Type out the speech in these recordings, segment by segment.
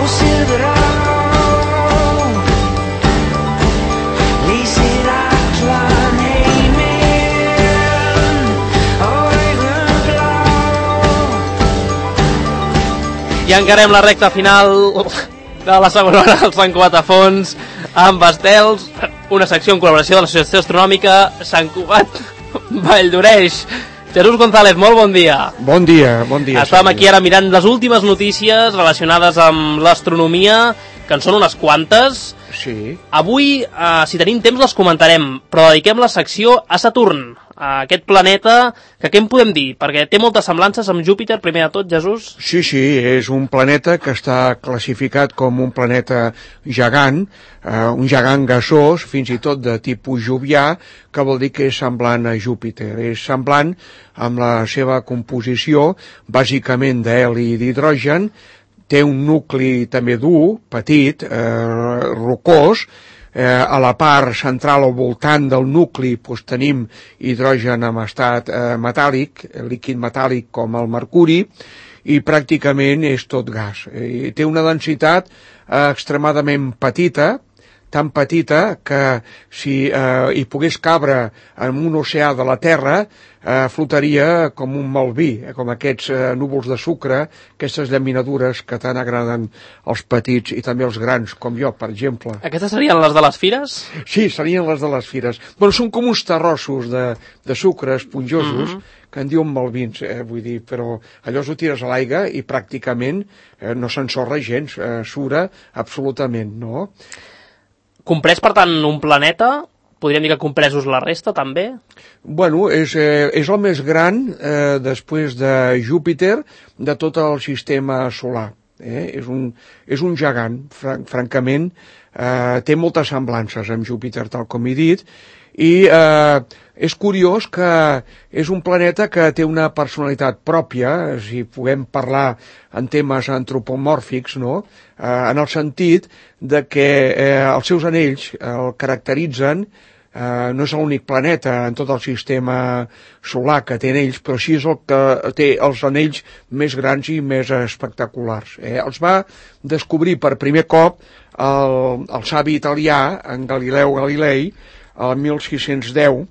I encarem la recta final de la segona hora del Sant Cugat a Fons amb estels, una secció en col·laboració de l'Associació Astronòmica Sant Cugat Valldoreix. Jesús González, molt bon dia. Bon dia, bon dia. Estàvem aquí ara mirant les últimes notícies relacionades amb l'astronomia, que en són unes quantes. Sí. Avui, si tenim temps, les comentarem, però dediquem la secció a Saturn, a aquest planeta, que què en podem dir? Perquè té moltes semblances amb Júpiter, primer de tot, Jesús. Sí, és un planeta que està classificat com un planeta gegant, un gegant gasós, fins i tot de tipus jovià, que vol dir que és semblant a Júpiter. És semblant amb la seva composició, bàsicament d'heli i d'hidrogen, té un nucli també dur, petit, rocós. A la part central o voltant del nucli tenim hidrogen en estat metàl·lic, líquid metàl·lic com el mercuri, i pràcticament és tot gas. Té una densitat extremadament petita, tan petita que si hi pogués cabre en un oceà de la Terra, flotaria com un malví, com aquests núvols de sucre, aquestes llaminadures que tant agraden als petits i també als grans, com jo, per exemple. Aquestes serien les de les fires? Sí, serien les de les fires. Bueno, són com uns terrossos de sucre esponjosos, que en diuen malvins, vull dir, però allò ho tires a l'aigua i pràcticament no s'ensorra gens, sura absolutament, no? Comprès, per tant, un planeta? Podríem dir que compresos la resta, també? Bueno, és el més gran, després de Júpiter, de tot el sistema solar. És un gegant, francament, té moltes semblances amb Júpiter, tal com he dit, i és curiós que és un planeta que té una personalitat pròpia, si puguem parlar en temes antropomòrfics, no? En el sentit de que els seus anells el caracteritzen. No és l'únic planeta en tot el sistema solar que té anells, però sí és el que té els anells més grans i més espectaculars. Els va descobrir per primer cop el savi italià, en Galileu Galilei, el 1610,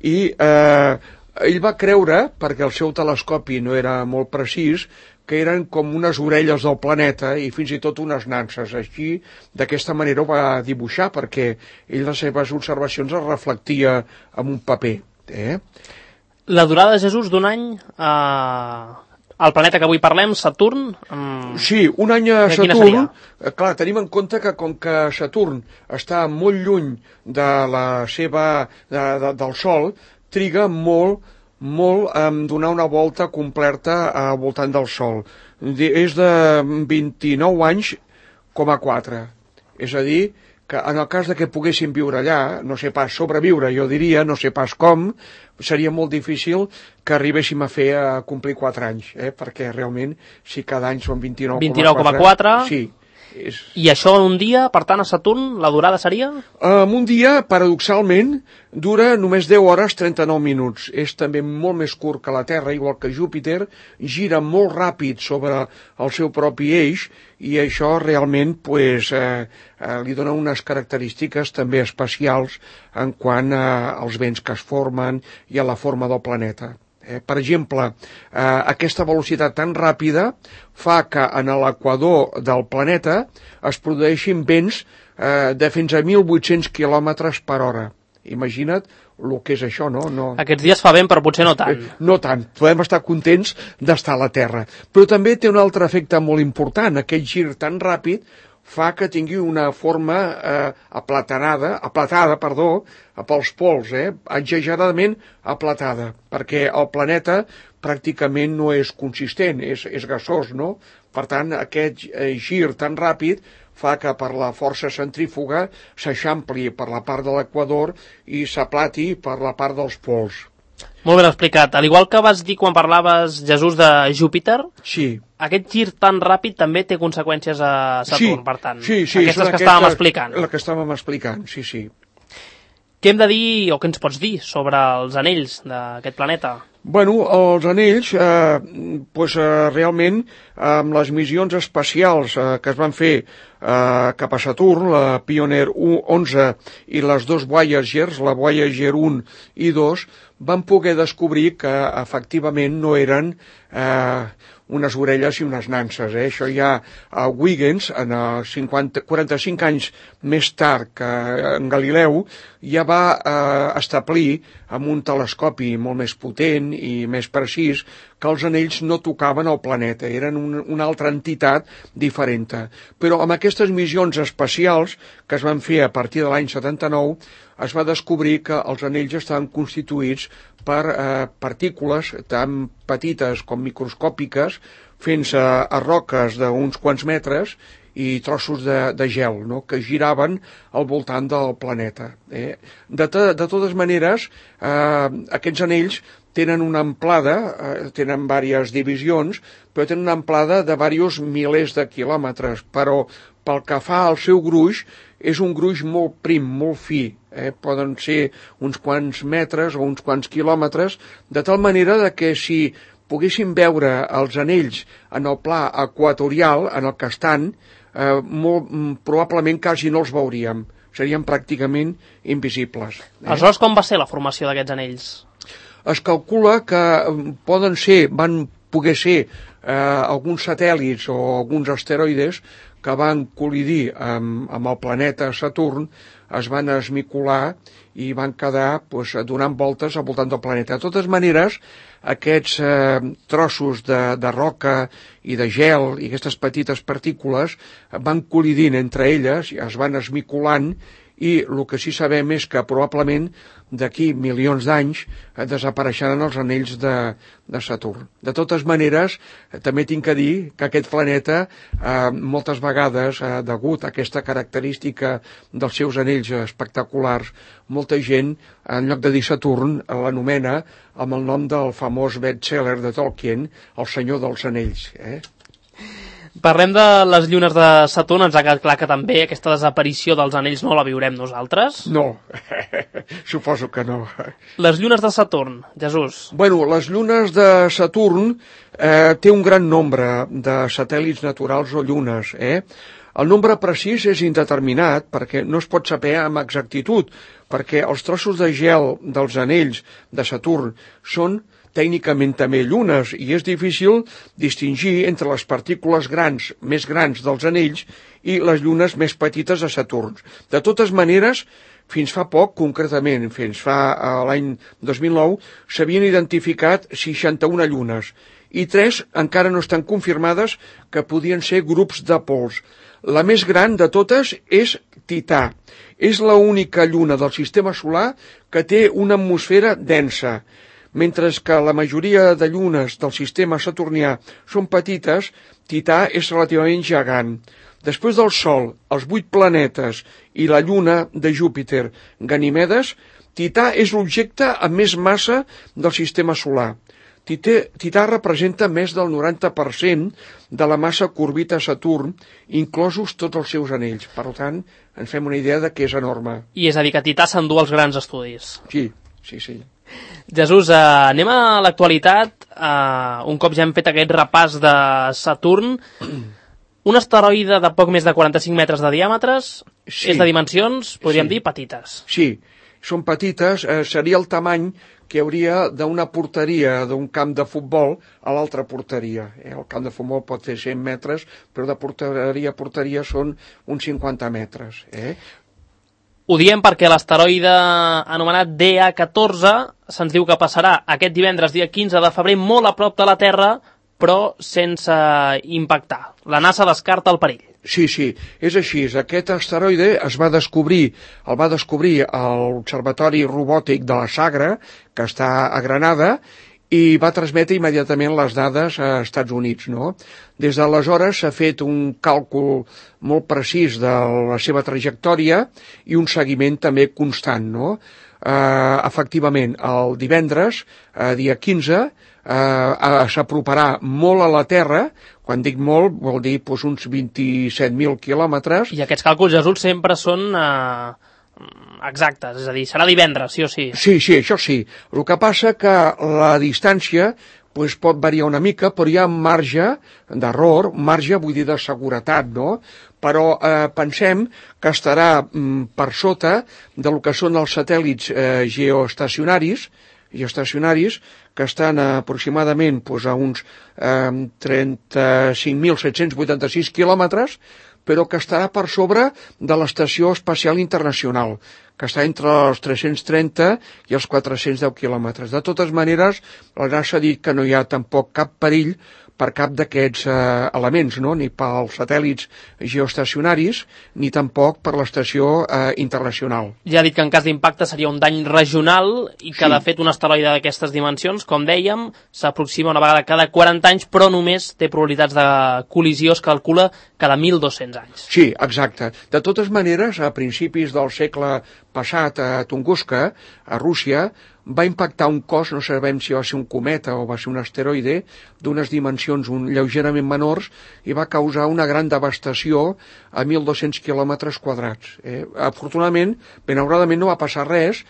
i ell va creure, perquè el seu telescopi no era molt precís, que eren com unes orelles del planeta i fins i tot unes nanses. Així, d'aquesta manera ho va dibuixar, perquè ell les seves observacions es reflectia en un paper. La durada, Jesús, d'un any al planeta que avui parlem, Saturn? Sí, un any a Saturn. Clar, tenim en compte que com que Saturn està molt lluny de del Sol, triga molt donar una volta completa al voltant del Sol. És de 29 anys, 4. És a dir, que en el cas de que poguéssim viure allà, no sé pas sobreviure, jo diria, no sé pas com, seria molt difícil que arribéssim a complir 4 anys, perquè realment, si cada any són 29,4... Sí. I això en un dia, per tant, a Saturn, la durada seria? En un dia, paradoxalment, dura només 10 hores 39 minuts. És també molt més curt que la Terra, igual que Júpiter, gira molt ràpid sobre el seu propi eix i això realment li dona unes característiques també especials en quant als vents que es formen i a la forma del planeta. Per exemple, aquesta velocitat tan ràpida fa que en l'equador del planeta es produeixin vents de fins a 1.800 km per hora. Imagina't el que és això, no? Aquests dies fa vent, però potser no tant. No tant, podem estar contents d'estar a la Terra. Però també té un altre efecte molt important, aquest gir tan ràpid fa que tingui una forma aplatada pels pols, exageradament aplatada, perquè el planeta pràcticament no és consistent, és gasós, no? Per tant, aquest gir tan ràpid fa que per la força centrífuga s'eixampli per la part de l'equador i s'aplati per la part dels pols. Molt ben explicat. Al igual que vas dir quan parlaves, Jesús, de Júpiter, sí. Aquest gir tan ràpid també té conseqüències a Saturn, per tant. Sí, aquestes que estàvem explicant. La que estàvem explicant, sí. Què hem de dir, o què ens pots dir, sobre els anells d'aquest planeta? Bueno, els anells, realment, amb les missions espacials que es van fer cap a Saturn, la Pioneer 11 i les dos Voyagers, la Voyager 1 i 2, van poder descobrir que efectivament no eren unes orelles i unes nanses. Això ja Huygens, en 45 anys més tard que en Galileu, ja va establir amb un telescopi molt més potent i més precís que els anells no tocaven el planeta, eren una altra entitat diferent. Però amb aquestes missions espacials que es van fer a partir de l'any 79 es va descobrir que els anells estaven constituïts per partícules tan petites com microscòpiques, fent-se a roques d'uns quants metres i trossos de gel, no?, que giraven al voltant del planeta. De totes maneres, aquests anells tenen una amplada, tenen diverses divisions, però tenen una amplada de diversos milers de quilòmetres, però pel que fa al seu gruix, és un gruix molt prim, molt fi, poden ser uns quants metres o uns quants quilòmetres, de tal manera que si poguéssim veure els anells en el pla equatorial, en el que estan, probablement quasi no els veuríem, serien pràcticament invisibles. Aleshores, com va ser la formació d'aquests anells? Es calcula que van poder ser alguns satèl·lits o alguns asteroides que van col·lidir amb el planeta Saturn, es van esmicolar i van quedar donant voltes al voltant del planeta. De totes maneres, aquests trossos de roca i de gel i aquestes petites partícules van col·lidint entre elles, es van esmicolant, i el que sí sabem és que probablement d'aquí milions d'anys desapareixeran els anells de Saturn. De totes maneres, també tinc que dir que aquest planeta moltes vegades, degut a aquesta característica dels seus anells espectaculars, molta gent, en lloc de dir Saturn, l'anomena amb el nom del famós best-seller de Tolkien, El senyor dels anells. Parlem de les llunes de Saturn, ens ha quedat clar que també aquesta desaparició dels anells no la viurem nosaltres? No, suposo que no. Les llunes de Saturn, Jesús? Bueno, les llunes de Saturn té un gran nombre de satèl·lits naturals o llunes. El nombre precís és indeterminat perquè no es pot saber amb exactitud, perquè els trossos de gel dels anells de Saturn són tècnicament també llunes, i és difícil distingir entre les partícules més grans dels anells i les llunes més petites de Saturn. De totes maneres, fins fa poc, concretament, fins fa l'any 2009, s'havien identificat 61 llunes, i 3 encara no estan confirmades que podien ser grups de pols. La més gran de totes és Tità. És l'única lluna del sistema solar que té una atmosfera densa. Mentre que la majoria de llunes del sistema saturnià són petites, Tità és relativament gegant. Després del Sol, els 8 planetes i la lluna de Júpiter, Ganimedes, Tità és l'objecte amb més massa del sistema solar. Tità representa més del 90% de la massa que orbita Saturn, inclosos tots els seus anells. Per tant, ens fem una idea de que és enorme. I és a dir, que Tità s'endú els grans estudis. Sí. Jesús, anem a l'actualitat. Un cop ja hem fet aquest repàs de Saturn, un asteroide de poc més de 45 metres de diàmetres, sí. És de dimensions, podríem dir, petites. Sí, són petites, seria el tamany que hi hauria d'una porteria d'un camp de futbol a l'altra porteria. El camp de futbol pot fer 100 metres, però de porteria a porteria són uns 50 metres. Ho diem perquè l'asteroide anomenat DA14 se'ns diu que passarà aquest divendres, dia 15 de febrer, molt a prop de la Terra, però sense impactar. La NASA descarta el perill. Sí, és així. Aquest asteroide el va descobrir l'Observatori Robòtic de la Sagra, que està a Granada, i va transmetre immediatament les dades a Estats Units, no? Des d'aleshores s'ha fet un càlcul molt precís de la seva trajectòria i un seguiment també constant, no? Efectivament, el divendres, dia 15, s'aproparà molt a la Terra. Quan dic molt, vol dir uns 27.000 quilòmetres. I aquests càlculs, Jesús, sempre són exactes, és a dir, serà divendres, sí o sí. Sí, això sí. El que passa que la distància pues, pot variar una mica, però hi ha marge d'error, marge, vull dir, de seguretat, no? Però pensem que estarà per sota del que són els satèl·lits geoestacionaris, que estan aproximadament pues, a uns 35.786 quilòmetres, però que estarà per sobre de l'Estació Espacial Internacional, que està entre els 330 i els 410 quilòmetres. De totes maneres, la NASA ha dit que no hi ha tampoc cap perill per cap d'aquests elements, no? Ni pels satèl·lits geoestacionaris, ni tampoc per l'estació internacional. Ja ha dit que en cas d'impacte seria un dany regional i que, de fet, un asteroide d'aquestes dimensions, com dèiem, s'aproxima una vegada cada 40 anys, però només té probabilitats de col·lisió, es calcula, cada 1.200 anys. Sí, exacte. De totes maneres, a principis del segle passat a Tunguska, a Rússia, va impactar un cos, no sabem si va ser un cometa o va ser un asteroide, d'unes dimensions lleugerament menors i va causar una gran devastació a 1.200 quilòmetres quadrats. Afortunadament, benauradament no va passar res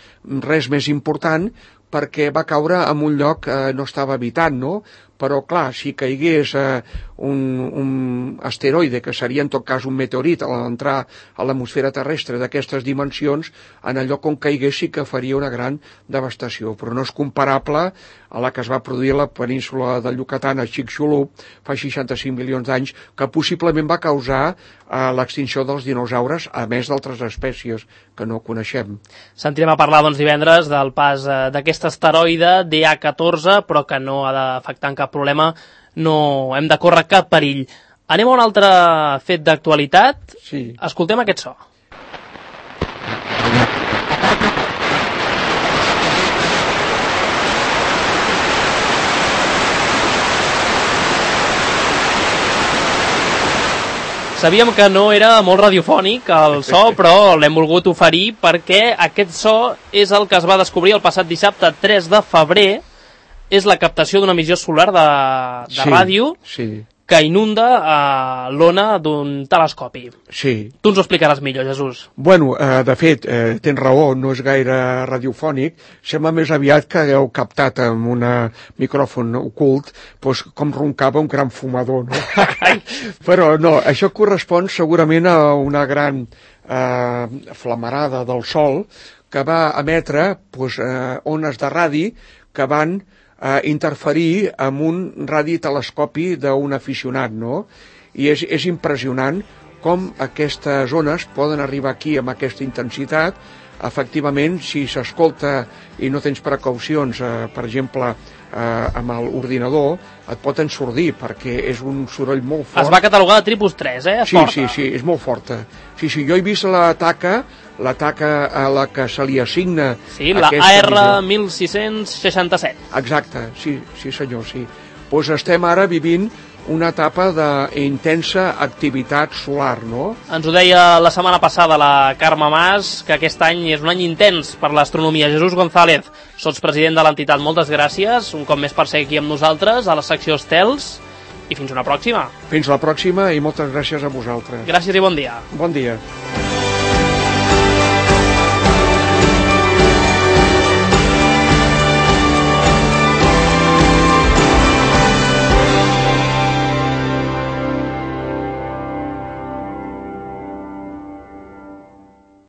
més important, perquè va caure en un lloc que no estava habitat, no? Però, clar, si caigués un asteroide, que seria en tot cas un meteorit a l'entrar a l'atmosfera terrestre d'aquestes dimensions, en el lloc on caigués sí que faria una gran devastació, però no és comparable a la que es va produir a la península del Yucatán, a Chicxulub, fa 65 milions d'anys, que possiblement va causar l'extinció dels dinosaures, a més d'altres espècies que no coneixem. Sentirem a parlar divendres del pas d'aquest asteroide DA14, però que no ha d'afectar en cap problema, no hem de córrer cap perill. Anem a un altre fet d'actualitat. Sí. Escoltem aquest so. Sabíem que no era molt radiofònic el so, però l'hem volgut oferir perquè aquest so és el que es va descobrir el passat dissabte 3 de febrer. És la captació d'una emissió solar de ràdio que inunda l'ona d'un telescopi. Sí. Tu ens ho explicaràs millor, Jesús. Bueno, de fet, tens raó, no és gaire radiofònic, sembla més aviat que hagueu captat amb un micròfon ocult doncs, com roncava un gran fumador, no? Però no, això correspon segurament a una gran flamarada del Sol que va emetre ones de radi que van interferir amb un radiotelescopi d'un aficionat, no? I és impressionant com aquestes ones poden arribar aquí amb aquesta intensitat. Efectivament, si s'escolta i no tens precaucions, per exemple, amb l'ordinador, et pot ensordir, perquè és un soroll molt fort. Es va catalogar de tipus 3, eh? Sí, és molt forta. Sí, jo he vist la taca a la que se li assigna... Sí, la AR1667. Exacte, sí senyor, sí. Doncs estem ara vivint una etapa d'intensa activitat solar, no? Ens ho deia la setmana passada la Carme Mas, que aquest any és un any intens per l'astronomia. Jesús González, sotspresident de l'entitat, moltes gràcies, un cop més per ser aquí amb nosaltres, a la secció Estels, i fins una pròxima. Fins la pròxima i moltes gràcies a vosaltres. Gràcies i bon dia. Bon dia.